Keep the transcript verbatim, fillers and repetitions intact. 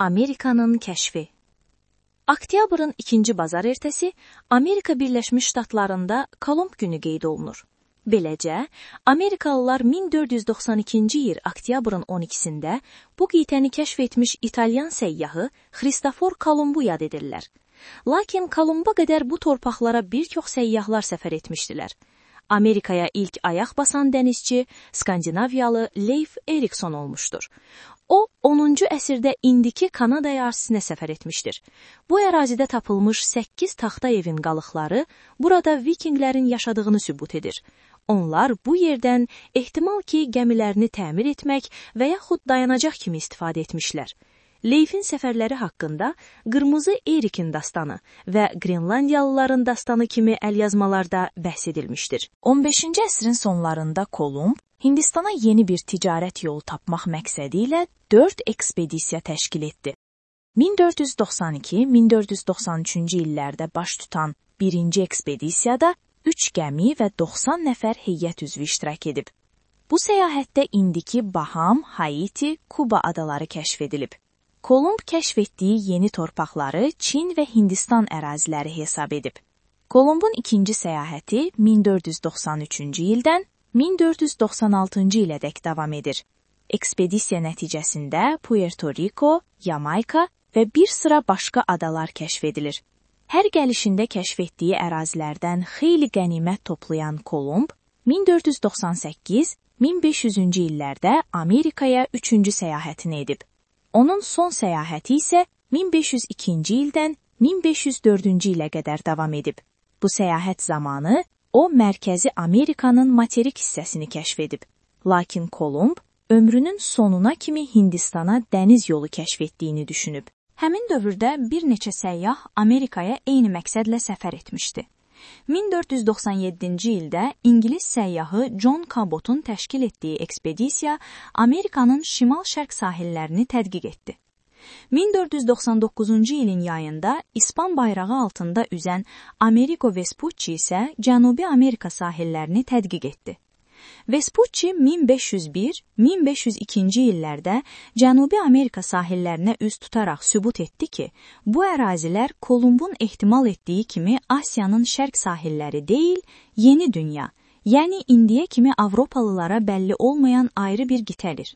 Amerikanın kəşfi. Oktyabrın ikinci bazar ertəsi Amerika Birləşmiş Ştatlarında Kolumb günü qeyd olunur. Beləcə, Amerikalılar min dörd yüz doxsan ikinci il oktyabrın on ikisində bu qitəni kəşf etmiş İtalyan səyyahı Xristofor Kolumbu yad edirlər. Lakin Kolumba qədər bu torpaqlara bir çox səyyahlar səfər etmişdilər. Amerikaya ilk ayaq basan dənizçi Skandinaviyalı Leif Erikson olmuşdur. O, onuncu əsrdə indiki Kanada ərazisinə səfər etmişdir. Bu ərazidə tapılmış səkkiz taxta evin qalıqları burada vikinglərin yaşadığını sübut edir. Onlar bu yerdən ehtimal ki, gəmilərini təmir etmək və yaxud dayanacaq kimi istifadə etmişlər. Leifin səfərləri haqqında Qırmızı Erikin dastanı və Qrenlandiyalıların dastanı kimi əlyazmalarda bəhs edilmişdir. on beşinci əsrin sonlarında Kolumb, Hindistana yeni bir ticarət yolu tapmaq məqsədi ilə dörd ekspedisiya təşkil etdi. min dörd yüz doxsan iki min dörd yüz doxsan üçüncü illərdə baş tutan birinci ekspedisiyada üç gəmi və doxsan nəfər heyət üzvü iştirak edib. Bu səyahətdə indiki Baham, Haiti, Kuba adaları kəşf edilib. Kolumb kəşf etdiyi yeni torpaqları Çin və Hindistan əraziləri hesab edib. Kolumbun ikinci səyahəti min dörd yüz doxsan üçüncü ildən min dörd yüz doxsan altıncı ilədək davam edir. Ekspedisiya nəticəsində Puerto Rico, Yamayka və bir sıra başqa adalar kəşf edilir. Hər gəlişində kəşf etdiyi ərazilərdən xeyli qənimət toplayan Kolumb, min dörd yüz doxsan səkkiz min beş yüzüncü illərdə Amerikaya üçüncü səyahətini edib. Onun son səyahəti isə min beş yüz ikinci ildən min beş yüz dördüncü ilə qədər davam edib. Bu səyahət zamanı o, Mərkəzi Amerikanın materik hissəsini kəşf edib. Lakin Kolumb, ömrünün sonuna kimi Hindistana dəniz yolu kəşf etdiyini düşünüb. Həmin dövrdə bir neçə səyyah Amerikaya eyni məqsədlə səfər etmişdi. min dörd yüz doxsan yeddinci ildə İngilis səyyahı John Cabot'un təşkil etdiyi ekspedisiya Amerikanın şimal-şərq sahillərini tədqiq etdi. min dörd yüz doxsan doqquzuncu ilin yayında İspan bayrağı altında üzən Amerigo Vespucci isə Cənubi Amerika sahillərini tədqiq etdi. Vespucci min beş yüz bir min beş yüz ikinci illərdə Cənubi Amerika sahillərinə üz tutaraq sübut etdi ki, bu ərazilər Kolumbun ehtimal etdiyi kimi Asiyanın şərq sahilləri deyil, yeni dünya, yəni indiyə kimi Avropalılara bəlli olmayan ayrı bir qitədir.